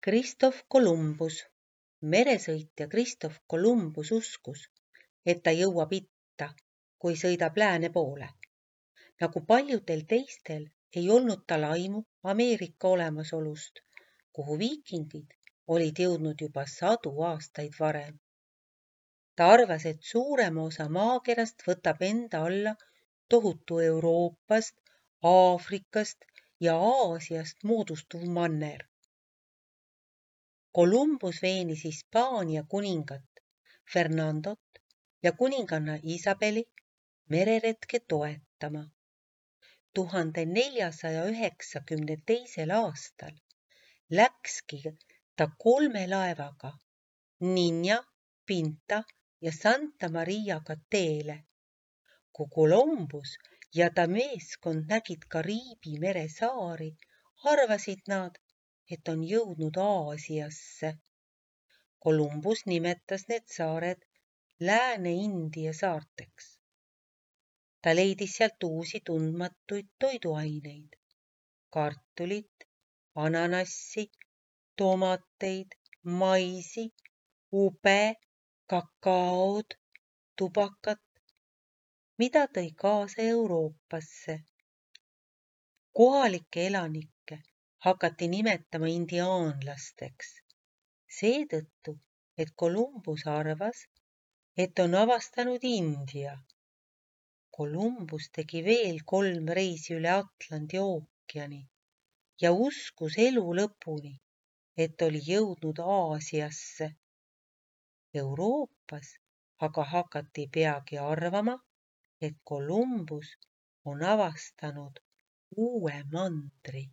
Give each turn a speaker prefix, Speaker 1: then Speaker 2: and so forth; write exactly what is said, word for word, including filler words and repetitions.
Speaker 1: Christoph Columbus. Meresõitja Christoph Columbus uskus, et ta jõuab itta, kui sõidab lääne poole. Nagu paljudel teistel ei olnud tal aimu Ameerika olemasolust, kuhu viikingid olid jõudnud juba sadu aastaid varem. Ta arvas, et suurema osa maakerast võtab enda alla tohutu Euroopast, Aafrikast ja Aasiast moodustuv manner. Columbus veenis Hispaania kuningat Fernandot ja kuninganna Isabeli mereretke toetama. tuhande neljasaja üheksakümne teisel aastal läkski ta kolme laevaga Niña, Pinta ja Santa Mariaga teele. Kui Columbus ja ta meeskond nägid Kariibi mere saari, arvasid nad, et on jõudnud Aasiasse. Columbus nimetas need saared Lääne-India saarteks. Ta leidis sealt uusi tundmatuid toiduaineid, kartulit, ananassi, tomateid, maisi, ube, kakaod, tubakat, mida tõi kaasa Euroopasse. Kohalikke elanikke hakati nimetama indiaanlasteks. Seetõttu, et Columbus arvas, et on avastanud India. Columbus tegi veel kolm reisi üle Atlandi ookeani ja uskus elu lõpuni, et oli jõudnud Aasiasse. Euroopas aga hakati peagi arvama, et Columbus on avastanud uue mandri.